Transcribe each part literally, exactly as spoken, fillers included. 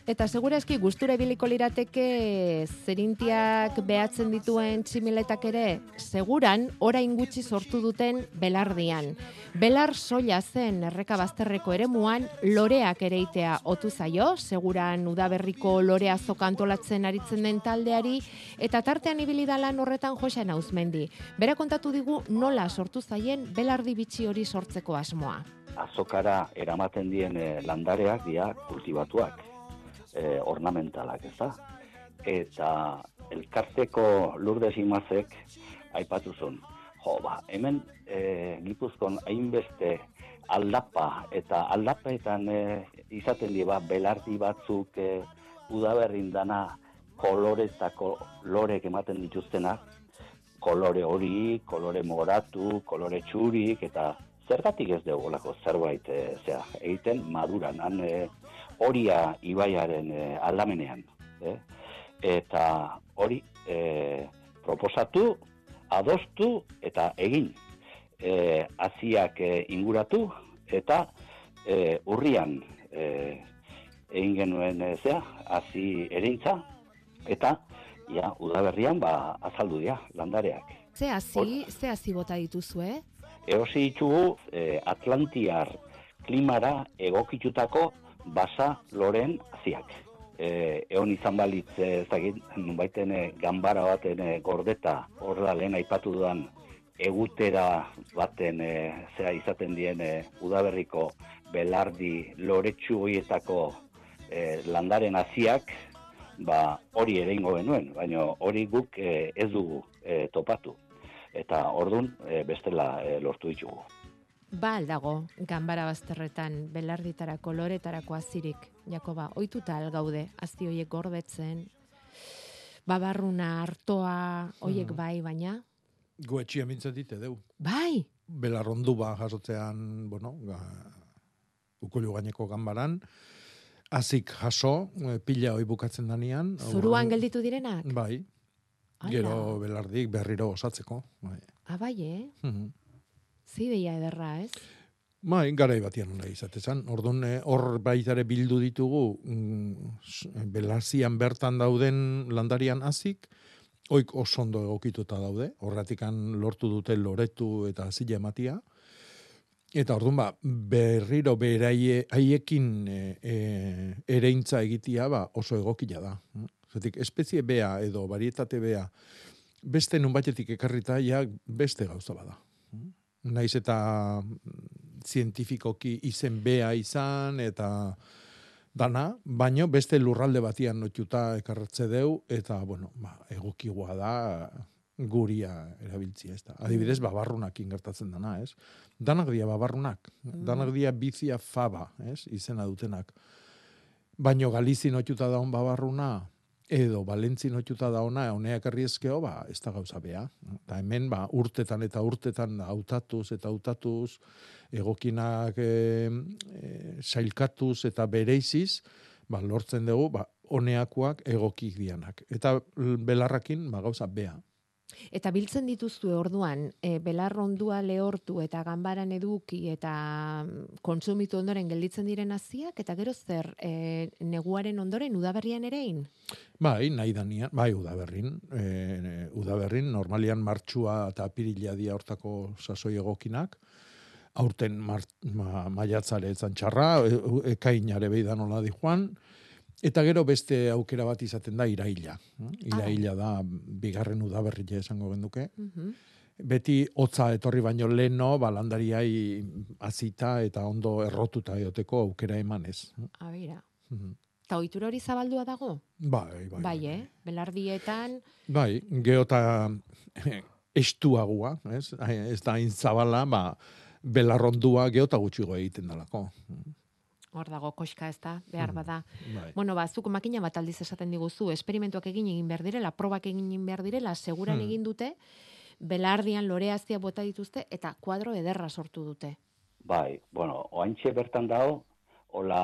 Eta segurazki gustura ibiliko lirateke zerintiak behatzen dituen tximiletak ere, seguran orain gutxi sortu duten belardian. Belar soila zen erreka bazterreko eremuan loreak ereitea otu zaio, seguran udaberriko lorea zokantolatzen aritzen den taldeari, eta tartean ibili da lan horretan Joxan Auzmendi. Bera kontatu digu nola sortu zaien belardi bitxi hori sortzeko asmoa. Azokara eramaten dien eh, landareak dira kultibatuak, eh, ornamentalak, ez da? Eta elkarteko Lourdes Imazek aipatu zuen, jo, ba, hemen eh, Gipuzkoan hainbeste aldapa, eta aldapetan eh, izaten dira belardi batzuk eh, udaberrin dana koloretako lorek ematen dituztenak, kolore hori, kolore moratu, kolore txurik, eta zergatik ez dugu olako zerbait e, zera, egiten maduran, han e, Oria ibaiaren e, aldamenean. E? Eta hori e, proposatu, adostu eta egin. E, aziak e, inguratu eta e, urrian e, egin genuen e, zera, azi erintza, eta ja, udaberrian ba, azaldu dira landareak. Ze hazi, ze hazi bota dituzue? Eosi ditugu eh, Atlantiar klimara egokitutako basa loren haziak. Eh, egon izan balitz, ez dakit, nunbaiten eh, ganbara baten eh, gordeta, hor da lehen aipatu dudan egutera baten eh, zera izaten dien eh, udaberriko belardi loretsu horietako eh, landaren haziak, ba hori ere ingo genuen, baina hori guk eh, ez dugu eh, topatu. Eta ordun e, bestela e, lortu ditugu. Ba aldago, ganbara bazterretan belarditarako loretarako azirik, Jakoba, ohituta algaude, azti hoiek gordetzen, babarruna, artoa, hoiek bai, baina? Goetxia mintzat dite, deu. Bai! Belarrondu ba jasotzean, bueno, ga, ukulu gaineko ganbaran, azik jaso, pila hoi bukatzen danean. Zuruan gelditu direnak? Bai. Gero belardik berriro osatzeko. Bai. Ah, bai, eh? Mm-hmm. Zideia ederra, ez? Bai, garai batian nahi izatezan. Orduan, hor baitare bildu ditugu mm, belazian bertan dauden landarian hazik, oik osondo egokituta daude. Horratikan lortu dute loretu eta hazila ematia. Eta orduan, ba, berriro beraie haiekin e, e, ereintza egitia ba, oso egokila da. Zatik, espezie bea edo varietate bea beste nunbaitetik ekarrita ja beste gauza bada. Naiz eta zientifikoki izen bea izan eta dana, baino beste lurralde batian notuta ekarratze deu eta, bueno, ba, egokigua da guria erabiltzia, ez da. Adibidez, babarrunak ingertatzen dana, ez? Danak dia babarrunak, danak dia bizia faba, ez? Izena dutenak. Baino Galizi notuta daun babarruna, edo Valentzi notuta da ona, honeak arriezkeo, ba, ez da gauza bea. Eta hemen, ba, urtetan eta urtetan hautatuz eta hautatuz, egokinak e, e, sailkatuz eta bereiziz, ba, lortzen dugu, ba, honeakoak egokik dianak. Eta belarrakin, ba, gauza bea. Eta biltzen dituzue orduan, e, belarrondua lehortu eta ganbaran eduki eta kontsumitu ondoren gelditzen diren haziak, eta gero zer, e, neguaren ondoren udaberrian erein? Bai, nahi danian, bai, udaberrin. E, udaberrin, normalian martxua eta apirila dia hortako sasoi egokinak, aurten ma, maiatzare etzan txarra, e, ekainare behidan hola di joan, eta gero beste aukera bat izaten da iraila. Iraila da bigarren udaberria esango genduke. Uh-huh. Beti hotza etorri baino leno, balandariai azita eta ondo errotuta eoteko aukera emanez. Abira. Uh-huh. Ta ohitura hori zabaldua dago? Bai, bai. Bai, eh? Belardietan... Bai, geota estuagua, ez? Ez da inzabala, ba, belarrondua geota gutxigo egiten dalako. Hor dago, koska ez da, behar bada. Mm, bai. Bueno, ba, zuk makina bat aldiz esaten diguzu, esperimentuak egin egin behar direla, probak egin behar direla, seguran hmm. egin dute, belardian loreazia bota dituzte, eta kuadro ederra sortu dute. Bai, bueno, oaintxe bertan dago, hola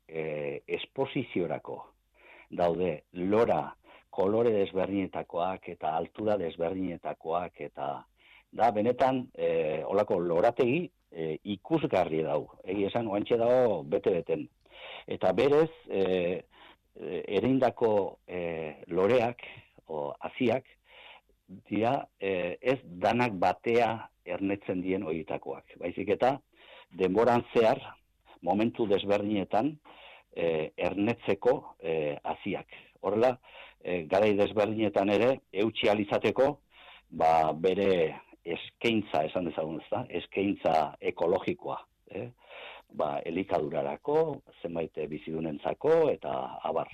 eh, esposiziorako daude lora kolore desberdinetakoak eta altura desberdinetakoak, eta da, benetan, eh, holako lorategi, E, ikusgarri dau, egi esan, oantxe dago bete-beten. Eta berez, e, ereindako e, loreak, o haziak, dira e, ez danak batea ernetzen dien horietakoak. Baizik eta denboran zehar, momentu desberdinetan, e, ernetzeko e, haziak. Horrela, e, garai desberdinetan ere, eutxi alizateko, ba, bere eskaintza, esan dezagun ez da, eskaintza ekologikoa. Eh? Ba, elikadurarako, zenbait bizidunentzako, eta abar.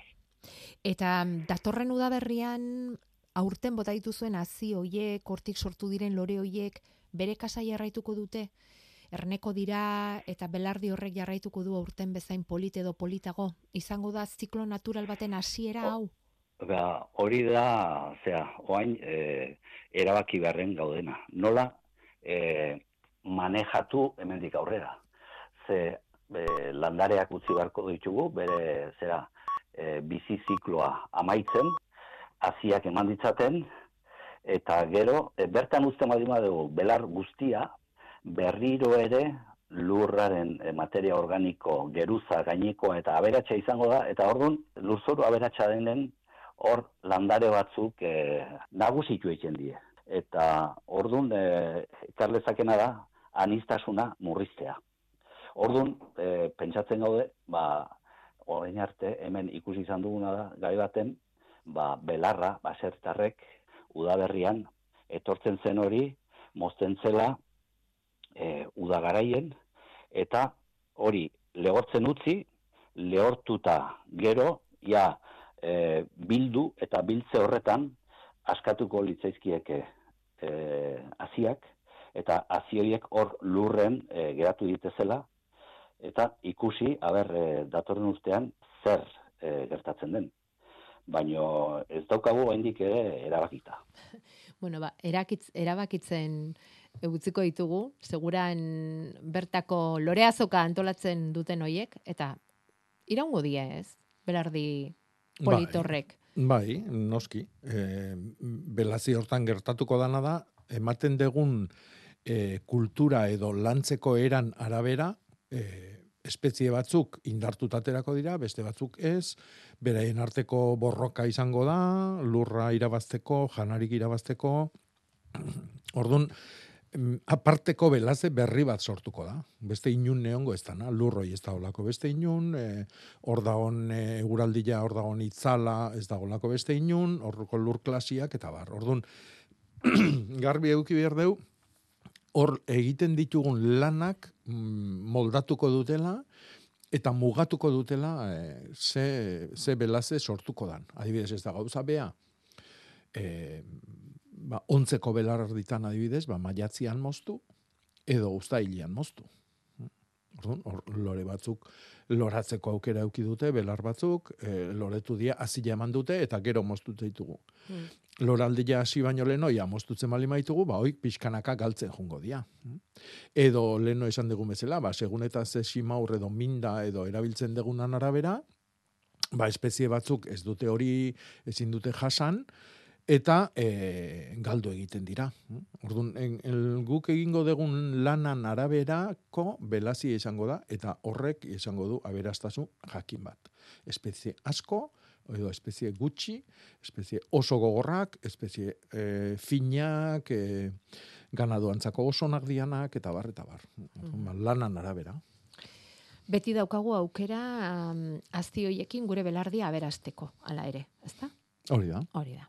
Eta datorren udaberrian aurten bota dituzuen hazi hoiek, hortik sortu diren lore hoiek, bere kasa jarraituko dute? Erneko dira eta belardi horrek jarraituko du aurten bezain polit edo politago? Izango da ziklo natural baten hasiera hau? Ba, hori da, zera, oain, e, erabaki beharren gaudena. Nola e, manejatu hemendik aurrera. Ze e, landareak utzi beharko ditugu, bere zera, e, bizi zikloa amaitzen, haziak eman ditzaten, eta gero, e, bertan uzten baldin badugu, belar guztia, berriro ere lurraren e, materia organiko, geruza, gainekoa eta aberatsa izango da, eta orduan lurzoru aberatsa denen hor landare batzuk e, nagusitu egiten die. Eta orduan e, ekarlezakena da aniztasuna murriztea. Orduan, e, pentsatzen gaude, ba, orain arte hemen ikusi izan duguna da, gai baten, ba, belarra, basertarrek, udaberrian, etortzen zen hori, mozten zela, e, udagaraien, eta hori lehortzen utzi, lehortuta gero, ja, e, bildu eta biltze horretan, askatuko litzaizkieke e, haziak, eta hazi horiek hor lurren e, geratu ditezela, eta ikusi, haber, e, datorren urtean, zer e, gertatzen den. Baina ez daukagu oraindik ere erabakita. Bueno, ba, erakitz, erabakitzen utziko ditugu, seguran bertako loreazoka antolatzen duten hoiek, eta iraungo die ez, belardi politorrek. Bai, bai, noski. E, belazi hortan gertatuko dana da, ematen degun e, kultura edo lantzeko eran arabera, e, espezie batzuk indartutaterako dira, beste batzuk ez, beraien arteko borroka izango da, lurra irabazteko, janarik irabazteko. Orduan, aparteko belaze berri bat sortuko da. Beste inun neongo ez dana, lurroi ez da olako beste inun, e, hor dagoen e, eguraldia, hor dagoen itzala, ez da olako beste inun, horreko lur klasiak, eta bar. Orduan, garbi eduki behar deu, hor egiten ditugun lanak moldatuko dutela, eta mugatuko dutela e, ze, ze belaze sortuko dan. Adibidez ez da gauza bea, e, ba, ontzeko belar erditan adibidez, ba, maiatzian moztu, edo uztailian moztu. Orduan, hor, lore batzuk loratzeko aukera eduki dute, belar batzuk, e, loretu dia, azila eman dute, eta gero moztu ditugu. Mm. Loraldia hasi baino leno, ja, moztutzen bali maitugu, ba, hoik pixkanaka galtzen jungo dia. Edo, leno esan dugu bezala, ba, segun eta ze simaur edo minda edo erabiltzen dugunan arabera, ba, espezie batzuk ez dute hori ezin dute jasan, eta e, galdu egiten dira. Orduan, en, el, guk egingo dugun lanan araberako belazi izango da, eta horrek izango du aberastasun jakin bat. Espezie asko, edo espezie gutxi, espezie oso gogorrak, espezie e, finak, e, ganaduantzako osonak dianak, eta bar, eta bar. Mm. Lanan arabera. Beti daukagu aukera um, azti hoiekin gure belardia aberasteko, hala ere, ezta? Hori da. Hori da.